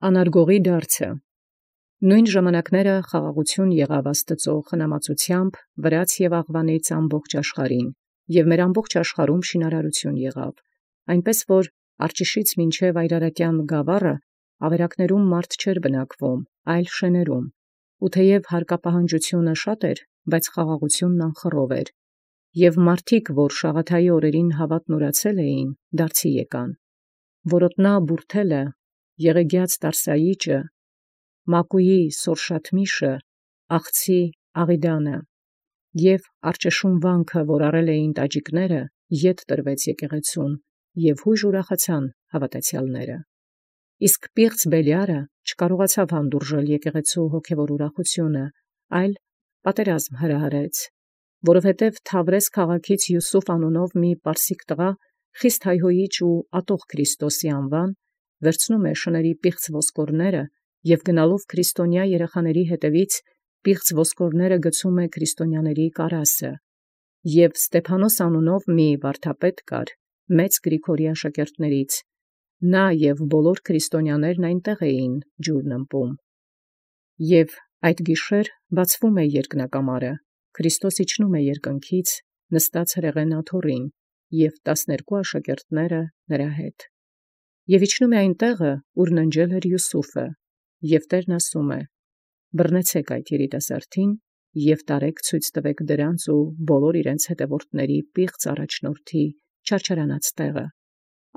Անարգողի դարձը։ Նոյն ժամանակները խաղաղություն եղավ Աստուծոյ խնամածութեամբ վրաց և աղուանից ամբողջ աշխարհին, և մեր ամբողջ աշխարհում շինարարություն եղավ, այնպէս որ արջիշից մինչև այրարատյան գաւառը ավերակներում մարդ չէր բնակվում, այլ շեներում, ու թեև հարկապահանջությունը շատ էր, բայց խաղաղությունն անխռով էր, և մարդիկ, որ Շաղաթայի օրերին հաւատն ունեցել էին, դարձի եկան, որոտնա բուրդելը, եղեգյաց Տարսայիճը, Մակուի Սորշաթմիշը, Աղցի Աղիդանը, և արճշուն վանքը, որ առել էին տաջիկները, ետ տրվեց եկեղեցուն, և հույժ ուրախացան հաւատացեալները։ Իսկ պիղծ Բելիարը չկարողացավ հանդուրժել եկեղեցու հոգևոր ուրախությունը, այլ պատերազմ հրահրեց, որովհետև Թավրես քաղաքից Յուսուֆ անունով մի պարսիկ տղա խիստ հայհոյիչ ու ատող Քրիստոսի անուան, վերցնում է շների պիղծ ոսկորները և գնալով քրիստոնյա երեխաների հետևից պիղծ ոսկորները գցում է քրիստոնյաների կարասը, և Ստեփանոս անունով մի վարդապետ կար, մեծ Գրիգորի աշակերտներից, նա և բոլոր քրիստոնյաներն այնտեղ էին ջուրն ըմպում։ Եւ այդ գիշեր բացվում է երկնակամարը, Քրիստոս իջնում է երկնքից, նստած հրեղեն աթոռին, և 12 աշակերտները նրա հետ։ Եւ իջնում է այնտեղը, ուր ննջել էր Յուսուֆը, և Տերն ասում է. «Բռնեցեք այդ երիտասարդին և տարեք ցույց տվեք դրանց ու բոլոր իրենց հետևորդների պիղծ առաջնորդի չարչարանած տեղը,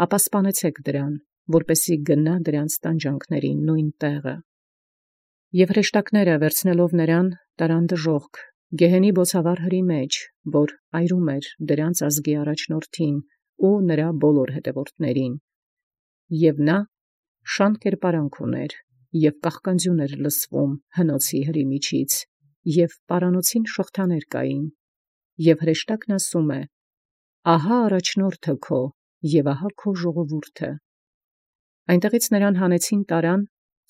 ապա սպանեցեք դրան, որպեսզի գնա դրանց տանջանքներին նույն տեղը»։ Եւ հրեշտակները վերցնելով նրան տարան դժոխք գեհենի բոցավառ մեջ, որ այրում էր դրանց ազգի առաջնորդին ու նրա բոլոր հետևորդներին, և նա շան կերպարանք ուներ, և կաղկանձյուն էր լսվում հնոցի հրի միջից, և պարանոցին շղթաներ կային, և հրեշտակն ասում է. «Ահա առաջնորդը քո, և ահա քո ժողովուրդը»։ Այնտեղից նրան հանեցին տարան,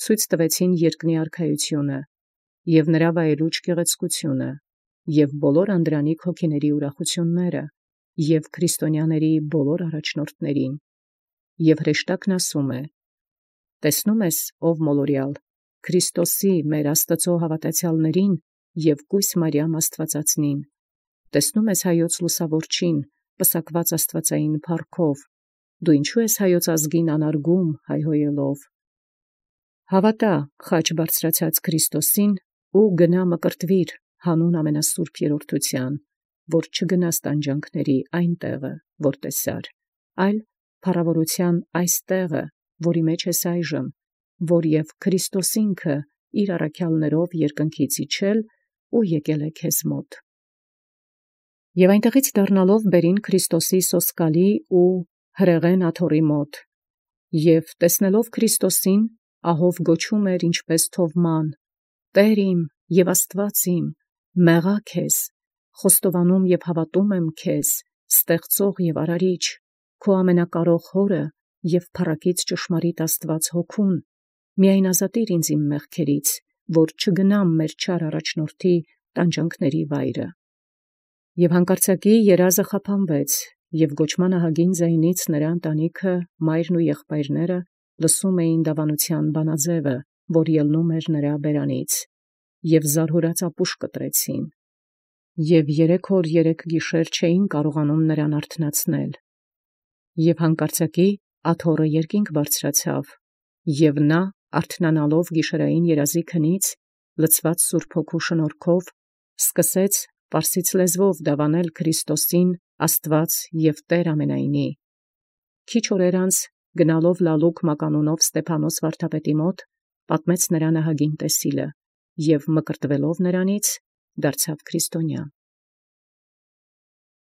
ցույց տվեցին երկնի արքայությունը, և նրա վայելուչ գեղեցկությունը, և բոլոր անդրանիկ հոգիների ուրախությունները, և քրիստոնյաների բոլոր առաջնորդներին, և հրեշտակն ասում է. «Տեսնո՞ւմ ես, ով մոլորյալ, Քրիստոսի մեր Աստուծոյ հաւատացեալներին և կույս Մարիամ Աստուածածնին, տեսնո՞ւմ ես հայոց լուսաւորչին, պսակված աստուածային փառքով, դու ինչու ես հայոց ազգին անարգում հայհոյելով։ Հավատա խաչ բարձրացած Քրիստոսին ու գնա մկրտվիր հանուն ամենասուրբ երրորդութեան, որ չգնաս տանջանքների այն տեղը, որ տեսար, այլ փառաւորութեան այս տեղը, որի մեջ ես այժմ, որ և Քրիստոս ինքը իր առաքյալներով երկնքից իջել ու եկել է քեզ մոտ»։ Եւ այնտեղից դառնալով բերին Քրիստոսի սոսկալի ու հրեղեն աթոռի մոտ, և տեսնելով Քրիստոսին, ահով գոչում էր ինչպես թովման. «Տէր իմ և Աստուած իմ, մեղա քեզ, խոստովանում և հավատում եմ քեզ, ստեղծող և արարիչ, քո ամենակարող Հորը և փառակից ճշմարիտ Աստուած Հոգուն, միայն ազատիր ինձ իմ մեղքերից, որ չգնամ մեր չար առաջնորդի տանջանքների վայրը»։ Եւ հանկարծակի երազը խափանվեց, և գոչման ահագին ձայնից նրա ընտանիքը, մայրն ու եղբայրները լսում էին դավանութեան բանաձևը, որ ելնում էր նրա բերանից, և զարհուրած ապուշ կտրեցին, և 3 օր 3 գիշեր չէին կարողանում նրան արթնացնել։ Եւ հանկարծակի աթոռը երկինք բարձրացավ, և նա արթնանալով գիշերային երազի քնից, լցված Սուրբ Հոգու շնորհքով, սկսեց պարսից լեզվով դավանել Քրիստոսին Աստուած և Տէր ամենայնի։ Քիչ օրեր անց գնալով Լալուկ մականունով Ստեփանոս վարդապետի մոտ, պատմեց նրան ահագին տեսիլը, և մկրտվելով նրանից դարձավ քրիստոնյա։